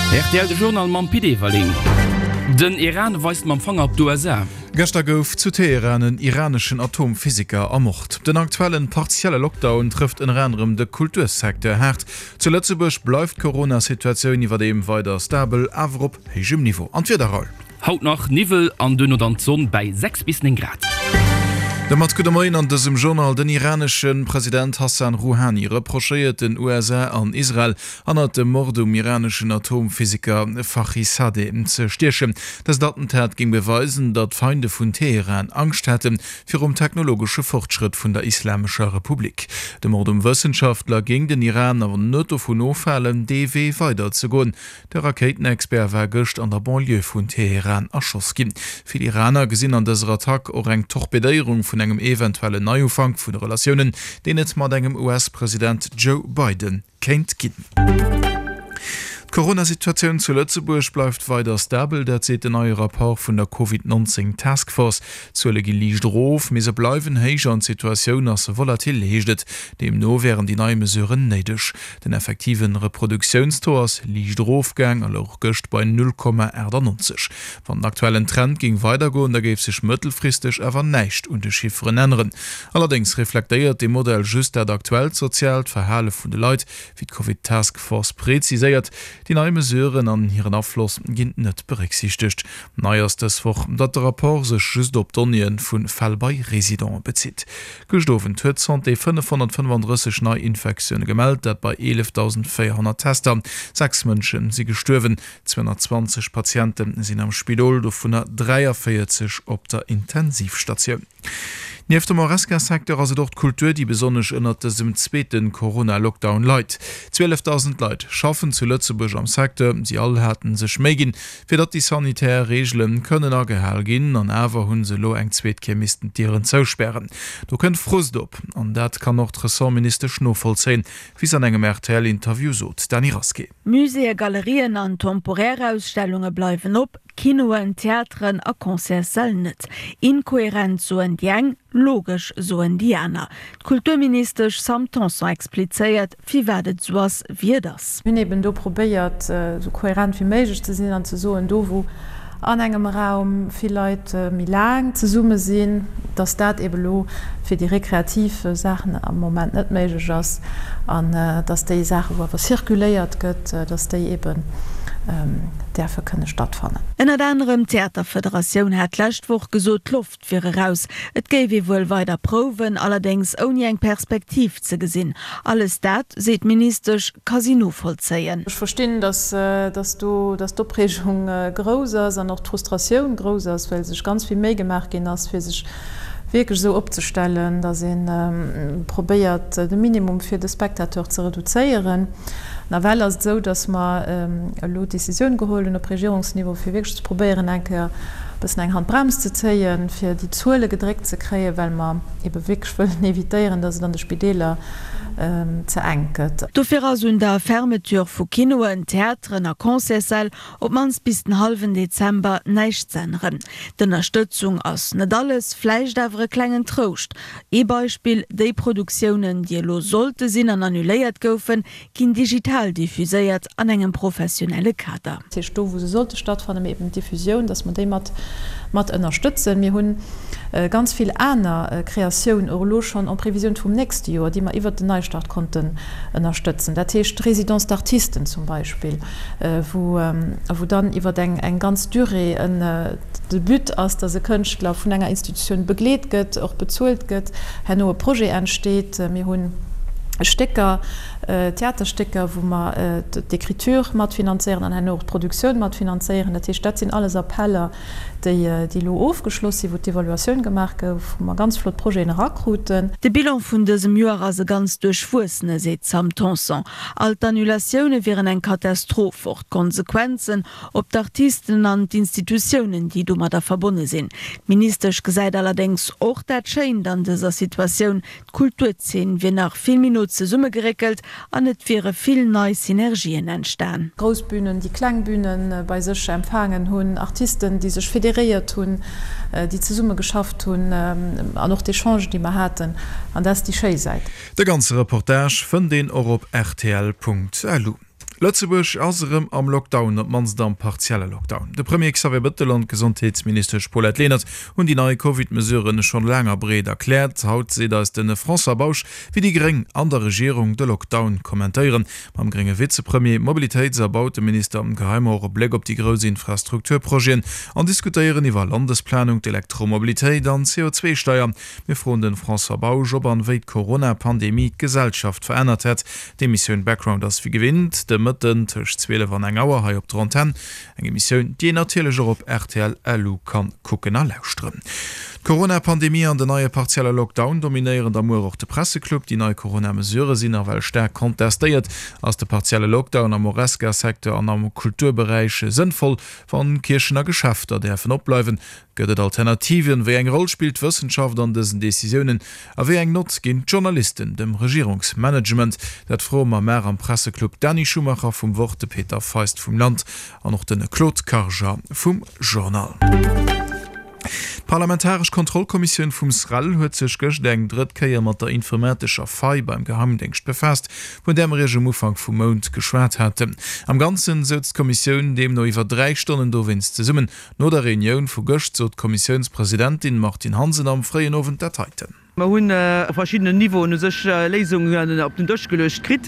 Rtl, De Journal mam Pit Everling. Den Iran weist mam Fanger op d'USA. Gëschter gouf zu Teheran en iraneschen Atomphysiker ermort. Den aktuellen partielle Lockdown trëfft ënner anerem de Kultursecteur haart. Zu Lëtzebuerg bleift d'Corona-Situatioun iwwerdeem weider stabel, awer op héijem Niveau. An d'Wieder, Raoul? Haut nach Niwwel an duerno dann d'Sonn bäi 6 bis 9 Grad. Domat gudde Moien an dësem Journal. Den iranesche President Hassan Rouhani reprochéiert den USA an Israel, hannert dem Mord um iraneschen Atomphysiker Fakhrizadeh ze stiechen. Dëst Attentat géing beweisen, datt d'Feinde vun Teheran Angscht hätte virum technologesche Fortschrëtt vun der Islamescher Republik. De Mord um Wëssenschaftler géing den Iran awer net dovun ofhalen, dee Wee weider ze goen. De Rakéitenexpert war gëscht an der Banlieue vun Teheran erschoss ginn. Vill Iraner gesinn an dëser Attack och eng Torpedéierung vun engem eventuellen Neiufank vun de Relatiounen, deen et mat engem US-President Joe Biden kéint ginn. D'Corona-Situatioun zu Lëtzebuerg bleift weider stabel, dat seet den neie Rapport vun der Covid 19 Task Force. D'Zuele gi liicht erof, mee se bleiwen héich an d'Situatioun ass volatil, heescht et. Deemno wären déi nei Mesuren néideg. Den effektive Reproduktiounstaux ass liicht erofgaang a louch gëscht bei 0,98. Wann den aktuellen Trend géing weidergoen, da géif sech mëttelfristeg awer näischt un de Chifferen änneren. Allerdéngs reflektéiert dee Modell just dat aktuellt soziaalt Verhale vun de Leit, wéi d'Covid Task Force preziséiert. Déi nei Mesuren an hiren Afloss ginn net berécksiichtegt. Nei ass dës Woch, datt de Rapport sech just op Donnéeë vu Fäll bei Residente bezitt. Gëscht Owend huet d'Santé 535 nei Infektioune gemellt, dat bei 11.400 Tester. 6 Mënsche si gestuerwen, 220 Patiente sinn am Spidol, dovunner 43 op der Intensivstatioun. Nieft dem Horesca-Secteur ass et och d'Kultur, déi besonnesch ënnert dësem zweete Corona-Lockdown leit. 12.000 Leit schaffen zu Lëtzebuerg am Secteur. Si all haten sech Méi ginn, fir datt déi sanitär Reegele kënnen agehal ginn, an awer hu se elo eng zweet Kéier missten d'Dieren zouspären. Do kënnt Frust op, an dat kann och d'Ressortministesch novollzéien, wéi se an engem RTL-Interview sot. Dany Rasqué. Muséeë, Galerien an temporär Ausstellunge bleiwen op, Kinoen, Theateren a Concertssäll net. Inkoherent soen déi eng, logesch soen déi aner. D'Kulturministesch Sam Tanson explizéiert, firwat et esou ass, wéi et ass. Mir hunn eben do probéiert, esou kohärent wéi méiglech ze sinn an ze soen, do wou an engem Raum vill Leit méi laang zesumme sinn, dass dat eben elo fir déi rekreativ Saachen am Moment net méiglech ass an dass déi Saachen, wou awer circuléiert gëtt, dass déi eben däerfe kënne stattfannen. Ënnert anerem d'Theaterfederatioun hat d'lescht Woch gesot, d'Loft wier eraus. Et géif ee wuel weider prouwen, allerdéngs ouni eng Perspektiv ze gesinn. Alles dat, seet d'Ministesch, ka si novollzéien. Ech verstinn, datt datt do datt d'Opreegung grouss ass an och d'Frustratioun grouss ass, well sech ganz vill Méi gemaach ginn ass, fir sech wierklech esou opzestellen, datt ee probéiert, de Minimum fir de Spectateur ze reduzéieren. Nawell ass et esou, datt mer elo d'Decisioun geholl hunn op Regierungsniveau, fir wierklech ze probéieren, eng Kéier e bëssen eng Handbrems ze zéien, fir déi Zuele gedréckt ze kréien, well mer ebe wierklech wëllen evitéieren, datt et an de Spideeler ze enk gëtt. Dofir ass un der Fermeture vu Kinoen, Theateren a Concertssäll op d'mannst bis den hallwen Dezember näischt z'änneren. D'Ënnerstëtzung ass net alles, vläicht awer e klengen Trouscht. Ee Beispill, Déi Produktiounen, déi elo sollte sinn an annuléiert goufen, ginn digital diffuséiert an engem professionelle Kader. Dat heescht do, wou se sollte stattfannen, mee eben d'Diffusioun, dass mer déi mat mat ënnerstëtzen. Mir hu ganz vill aner Kreatioun och elo schonn en prévision vum nächste Joer, déi mer iwwert den Neistart konnten ënnerstëtzen. Dat heescht d'Résidence d'artistes zum Beispill, wou wou dann iwwert eng eng ganz Durée en de But ass, dass e Kënschtler vun enger Institutioun begleet gëtt, och bezuelt gëtt, herno e Projet entsteet. Mir hunn Stécker, Theaterstécker, wou mer d'Écriture matfinanzéieren an herno och d'Produktioun matfinanzéieren. Dat heescht, dat sinn alles Appeller, déi elo ofgeschloss sinn, wou d'Evaluatioun gemaach gouf, wou mer ganz flott Projeten erakruten. De Bilan vun dësem Joer ass e ganz duerchwuessene, seet d'Sam Tanson. All d'Annulatioune wieren eng Katastroph, och d'Konsequenzen op d'Artisten an d'Institutiounen, déi domadder verbonne sinn. D'Ministesch gesäit allerdéngs och dat Schéint an dëser Situatioun, D'Kulturzeen wier nach vill méi no zesummegeréckelt an et wiere vill nei Synergien entstan. Grouss Bünen, déi kleng Büne bei sech empfaangen hunn, Artisten, déi sech federéiert hunn, déi zesumme geschafft hunn an och d'Echangen, déi mer haten. An dat ass déi schéi Säit. De ganze Reportage fënnt een och op rtl.lu. Lëtzebuerg ass erëm am Lockdown, op d'mannst am partielle Lockdown. De Premier Xavier Bettel an d'Gesondheetsministesch Paulette Lenert hunn déi nei Covid-Mesuren schonn laang a breet erkläert. Haut seet eis de François Bausch, wéi déi Gréng an der Regierung de Lockdown kommentéieren. Mam grénge Vizepremier, Mobilitéits a Bauteminister geheie mer och e Bléck op déi grouss Infrastrukturprojeten an diskutéieren iwwer Landesplanung, d'Elektromobilitéit an d'CO2-Steier. Mir froen de François Bausch, ob an wéi d'Corona-Pandemie d'Gesellschaft verännert hätt. D'Emissioun Background ass wéi gewinnt de Mëtten tëscht 12 an eng Auer hei op der Antenn. Eng Emissioun, déi een natierlech och op rtl LU kann kucken a lauschteren. D'Corona-Pandemie an den neie partielle Lockdown dominéieren da muer och de Presseclub. Déi nei Corona-Mesurë sinn nawell staark kontestéiert. Ass de partielle Lockdown am Horesca-Secteur an am Kulturberäich sënnvoll, wann Kierchen a Geschäfter däerfen opbleiwen? Gëtt et Alternativen? Wéi eng Roll spillt d'Wëssenschaft an dësen Decisiounen? A wéi eng Nott ginn d'Journalisten dem Regierungsmanagement? Dat froe mer mar am Presseclub d'Dani Schumacher vum Wort, de Peter Feist vum Land an och de Claude Karger vum Journal. D'parlamentaresch Kontrollkommissioun vum SREL huet sech gëscht eng drëtt Kéier mat der informatescher Faille beim Geheimdéngscht befaasst, vun där mer Iech um Ufank vum Mount geschwat haten. Am Ganzen souz d'Kommissioun deemno iwwer 3 Stonnen dowéinst zesummen. No der Reunioun vu gëscht sot d'Kommissiounspresidentin Martine Hansen am fréien Owend dat heiten. Mer hunn op verschiddenen Niveauen u sech Léisungen op den Dësch geluecht kritt.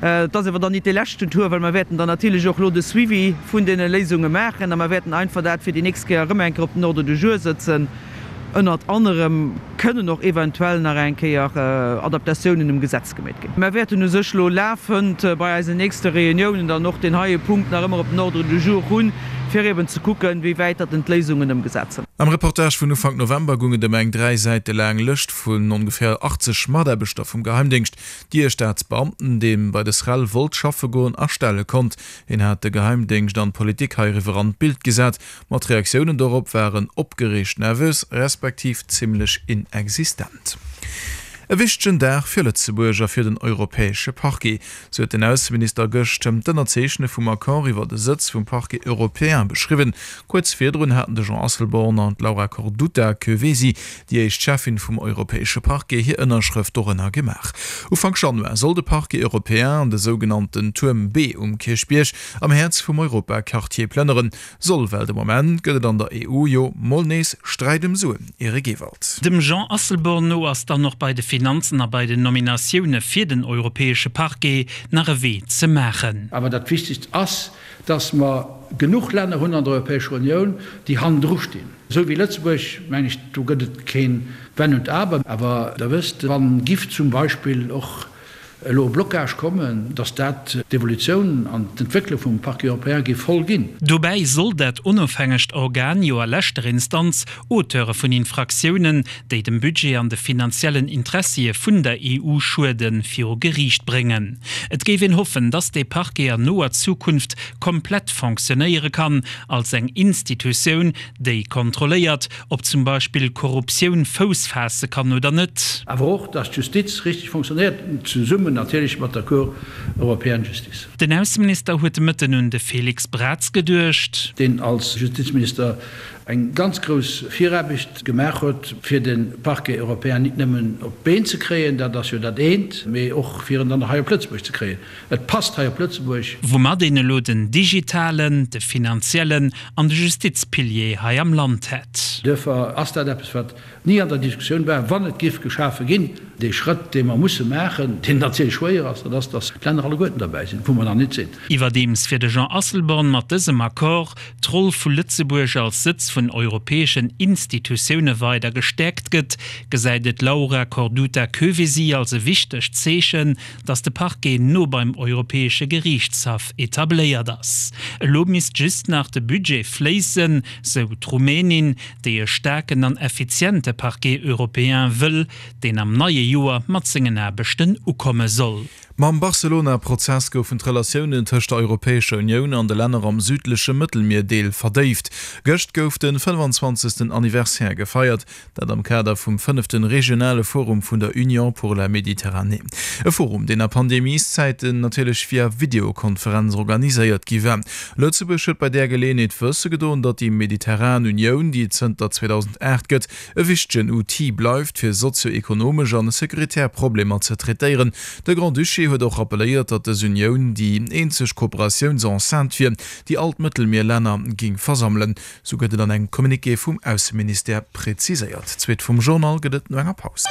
Et ass awer dann nit dee leschten Tour, well mer wäerten dann natierlech och elo de Suivi vun deene Léisunge maachen a mer wäerten einfach dat fir déi nächst Kéier erëm eng Kéier op den Ordre du jour sëtzen. Ënnert anerem kënnen och eventuell nach eng Kéier Adaptatiounen um Gesetz gemeet ginn. Mer wäerten u sech elo lafend bei eisen nächste Reuniounen dann och deen heie Punkt nach ëmmer op den Ordre du jour hunn, fir eben ze kucken, wéi wäit datt en d'Léisungen ëmgesat sinn. Am Reportage vun Ufank November gung et ëm eng 3 Säite laang Lëscht vun ongeféier 80 Mataarbechter vum Geheimdéngscht, déi e Staatsbeamten, dee bei de SREL wollt schaffe goen, astelle konnt. Hien hat de Geheimdéngscht an d'Politik heiriwwer an d'Bild gesat. Ma d'Reaktiounen dorop waren opgereegt, nervös, respektiv zimmlech inexistent. E wichtegen Dag fir Lëtzebuerg a fir den europäesche Parquet, sou huet den Ausseminister gëscht d'Ënnerzeechne vum Accord iwwer de Sëtz vum Parquet européen beschriwwen. Kuerz virdrun haten de Jean Asselborn an d'Laura Corduta Kövesi, déi éischt Cheffin vum europäesche Parquet, hir Ënnerschrëft dorënner gemaach. Ufank Januar soll de Parquet européen an de sougenannten Tuerm B um Kierchbierg am Häerz vum Europaquartier plënneren. Soll, well de Moment gëtt et an der EU jo mol nees Sträit ëm Suen. Eric Ewald. Dem Jean Asselborn no ass dann och bei de Finanzen a bei den Nominatioune fir den europäesche Parquet nach e Wee ze maachen. Awer dat Wichtegst ass, dass mer genuch Länner hunn an der Europäescher Unioun, déi hannendru stinn. Esou wéi Lëtzebuerg, meng ech, do gëtt et keen Wenn und Aber. Awer Der wësst, wann giff zum Beispill och elo e Blocage kommen, dass dat d'Evolutioun an d'Entwécklung vum Parquet européen géif voll ginn. Dobäi soll dat onofhängegt Organ jo a leschter Instanz Auteure vun Infraktiounen, déi dem Budget an de finanziellen Interessie vun der EU schueden, viru Geriicht bréngen. Et géif een hoffen, dass dee Parquet an noer Zukunft komplett fonctionnéiere kann als eng Institutioun, déi kontrolléiert, Ob zum Beispill Korruptioun Fouss faasse kann oder net. Awer och, dass d'Justiz richteg fonctionnéiert, zesummen natierlech mat der Cour européenne de justice. Den Ausseminister huet de Mëtten un de Félix Braz geduecht. Deen als Justizminister eng ganz grouss Viraarbecht gemaach huet, fir de Parquet européen nit nëmmen op d'Been ze kréien, dat ass jo dat eent, mee och fir en dann hei op Lëtzebuerg ze kréien. Et passt hei op Lëtzebuerg. Woumat een elo den digitalen, de finanziellen an de Justizpilier hei am Land hätt. Duerfir ass dat eppes, wat ni an der Diskussioun war, wann et géif geschafe ginn. Dee Schrëtt, dee mer musse maachen, deen natierlech schwéier ass, dat ass, datt d'Länner alleguerten derbäi sinn, wou mer nach nit sinn. Iwwerdeems fir de Jean Asselborn mat dësem Accord d'Roll vu Lëtzebuerg als Sëtz vun europäeschen Institutioune weider gestäerkt gëtt, gesäit et d'Laura Corduta Kövesi als e wichtegt Zeechen, datt de Parquet no beim Europäesche Geriichtshaff etabléiert ass. Elo misst just nach de Budget fléissen, sou d'Rumänin, déi e staarken an effiziente Parquet européen wëll, deen am neie Joer mat sengen Aarbechten ukomme soll. Mam Barcelona-Prozess goufen d'Relatiounen tëscht der Europäescher Unioun an de Länner am südleche Mëttelmierdeel verdéift. Gëscht gouf de 25. Anniversaire gefeiert. Dat am Kader vum fënneften regionale Forum vun der Union pour la Méditerranée. E Forum, deen a Pandemieszäiten natierlech via Videokonferenz organiséiert gi war. Lëtzebuerg huet bei där Geleeënheet wësse gedoen, datt déi mediterran Unioun, déi et zënter 2008 gëtt, e wichtegen Outil bleift, fir sozio-ekonomesch an securitär Problemer ze traitéieren. De Grand-Duché huet. huet och rappelléiert, datt dës Unioun déi eenzeg Kooperatiouns-Enceinte wier, déi all d'Mëttelmierlänner géing versammelen. Sou gëtt et an engem Communiqué vum Ausseministère präziséiert. D'Suite vum Journal gëtt et no enger Paus.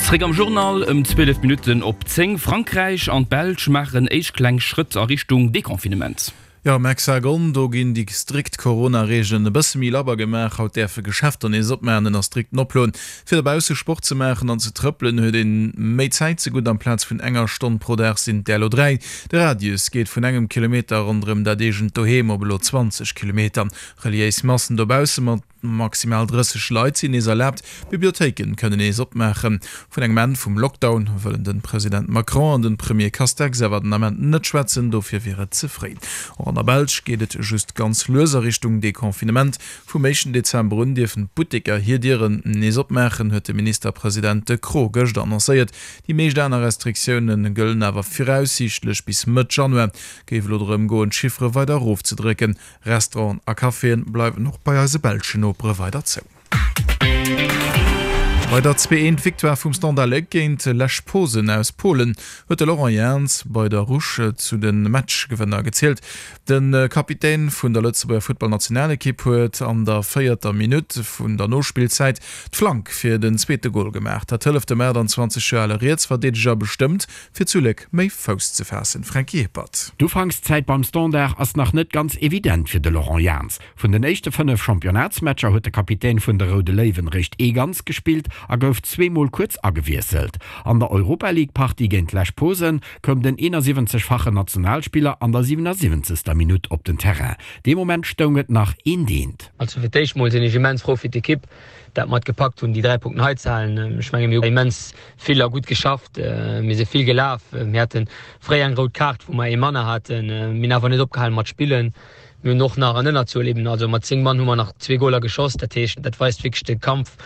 Zréck am Journal ëm 12 Minutten op 10. Frankräich an d'Belsch maachen éischt kleng Schrëtt a Richtung Deconfinement. Jo, am Hexagon, do ginn déi strikt Corona-Reegelen e bësse méi labber gemaach. Haut däerfe Geschäfter nees opmaachen, ënner strikten Oploen. Fir dobausse Sport ze maachen an ze trëppelen, huet ee méi Zäit zegutt. Amplaz vun enger Stonn pro Dag sinn et där elo 3. De Radius geet vun engem Kilometer ronderëm dat eegent Doheem op elo 20 Kilometer. Reliéis Massen dobausse mat maximal 30 Leit sinn nees erlaabt. Bibliothéiken kënnen nees opmaachen. Vun engem Enn vum Lockdown wëllen de President Macron an de Premier Castex awer den Ament net schwätzen, dofir wier et ze fréi. Och an der Belsch geet et just ganz lues a Richtung Deconfinement. Vum éischten Dezember un dierfen d'Butteker hir Dieren nees opmaachen, huet de Ministerpresident De Croo gëschter annoncéiert. Déi meescht aner Restriktioune gëllen awer viraussiichtlech bis Mëtt Januar. Géif elo drëm goen, d'Chiffere weider erofzedrécken. Restauranten a Caféen bleiwen och bei eise belschen Nopere weider zou. Bei der 2 Eent Victoire vum Standard Léck géint Lech Posen aus Polen huet de Laurent Jans bei der Rouge zu de Matchgewënner gezielt. De Kapitän vun der Lëtzebuerger Futtballnationalekipp huet an der véierter Minutt vun der Nospillzäit d'Flank fir den zweete Gol gemaach. Dat hëlleft dem 28 Joer ale Rietsverdeedeger bestëmmt, fir zu Léck méi Fouss ze faassen. Franky Hippert. D'Ufankszäit beim Standard ass nach net ganz evident fir de Laurent Jans. Vun den éischte 5 Championnatsmatcher huet de Kapitän vun de Roude Léiwen réischt ee ganz gespillt a gouf zweemol kuerz agewiesselt. An der Europa-League-Partie géint Lech Posen koum den 71-fachen Nationalspiller an der 77. Minutt op den Terrain. Dee Moment stoung et nach eent eent. Also fir d'éischt mol sinn ech immens frou fir d'Ekipp, dat mer et gepackt hunn déi 3 Punkten hei ze halen. Ech menge mir hu immens vill a gutt geschafft, mir si vill gelaf, mir hate fréi eng rout Kaart wou mer ee manner haten, mir hunn awer net opgehalen mat spillen. Mir hunn och nach an Ënnerzuel eben, also mat 10 Mann hu mer nach zwee Goler geschoss. Dat heescht, dat weist wierklech de Kampf,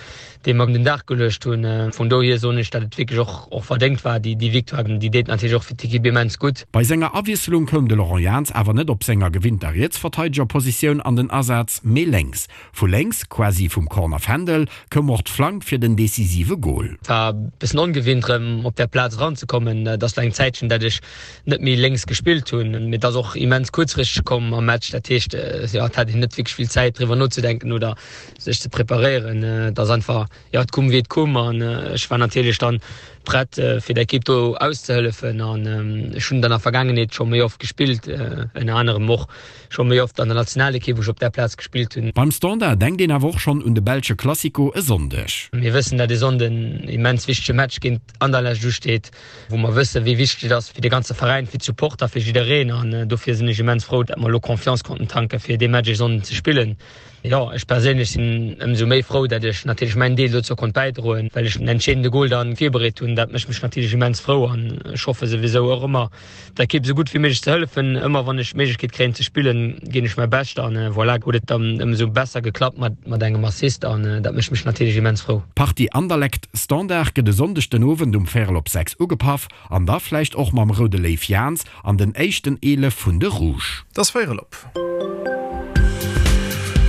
dee mer un den Dag geluecht hunn. Vun dohier soen ech, datt et wierklech och och verdéngt war, déi déi Victoire. Déi deet natierlech och fir d'Ekipp immens gutt. Bei senger Awiesselung koum de Laurent Jans awer net op senger gewinnter Rietsverteidegerpositioun an den Asaz, mee lénks. Vu lénks, quasi vum Corner Fändel, koum och d'Flank fir den decisive Gol. Et war e bëssen ongewinnt rëm op där Plaz eranzekommen. Et ass lo eng Zäitchen, dat ech net méi lénks gespillt hunn. Mee et ass och immens kuerzfristeg komm am Match. Dat heescht, jo, et hat een net wierklech vill Zäit driwwer nozedenken oder sech ze preparéieren. Et ass einfach, jo, et koum wéi et koum an ech war natierlech dann prett fir der Ekipp do auszehëllefen an ech hunn dann a Vergaangenheet scho méi oft gespillt, ënner anerem och scho méi oft an der Nationalekipp, wou ech op där Plaz gespillt hunn. Beim Standard denkt een awer och schonn un de belsche Classico e Sonndeg. Mir wëssen, dat e Sonnden en immens wichtege Match géint Anderlecht usteet, wou mer wëssen, wéi wichteg et ass fir de ganze Veräin, fir d'Supporter, fir jiddereen. An dofir sinn ech immens frou, dat mer elo Confiance konnten tanken, fir dee Match e Sonnden ze spillen. Jo, ech perséinlech sinn ëmsou méi frou, dat ech natierlech mäin Deel dozou konnt bäidroen, well ech den entscheedende Gol dann virbereet hunn. Dat mécht mech natierlech immens frou an ech hoffe souwisou och ëmmer, der Ekipp esou gutt wéi méiglech ze hëllefen. Ëmmer wann ech d'Méiglechkeet kréien ze spillen, ginn ech mäi Bescht an voilà, huet et dann ëmsou besser geklappt mat mat engem Assist an dat mécht mech natierlech immens frou. D'Partie Anderlecht-Standard gëtt e Sonndeg den Owend um véierel op 6 ugepaff an da vläicht och mam roude Léiw Jans an den éischten 11 vun de Rouge. Et ass véierel op.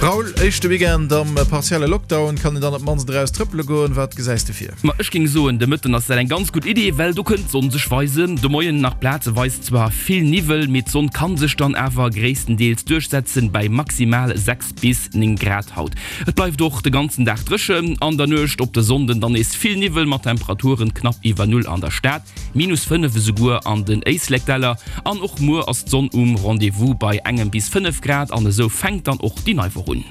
Raoul, éischte Weekend am partielle Lockdown, kann een dann op d'mannst eraus trëppele goen? Wat gesäis de vir? Ma ech géing soen, de Mëtten ass dat eng ganz gutt Idee, well do kënnt d'Sonn sech weisen. De Moien nach plazeweis zwar vill Niwwel, mee d'Sonn kann sech dann awer gréisstendeels duerchsetzen bei maximal 6 bis 9 Grad haut. Et bleift och de ganzen Dag dréchen, an der Nuecht op de Sonnden dann nees vill Niwwel mat Temperaturen knapp iwwer Null an der Stad. Minus 5 esouguer an den Éislekdäller. An och muer ass d'Sonn um Rendez-vous bei engem bis 5 Grad an esou fänkt dann och déi nei Woch un.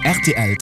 Rtl.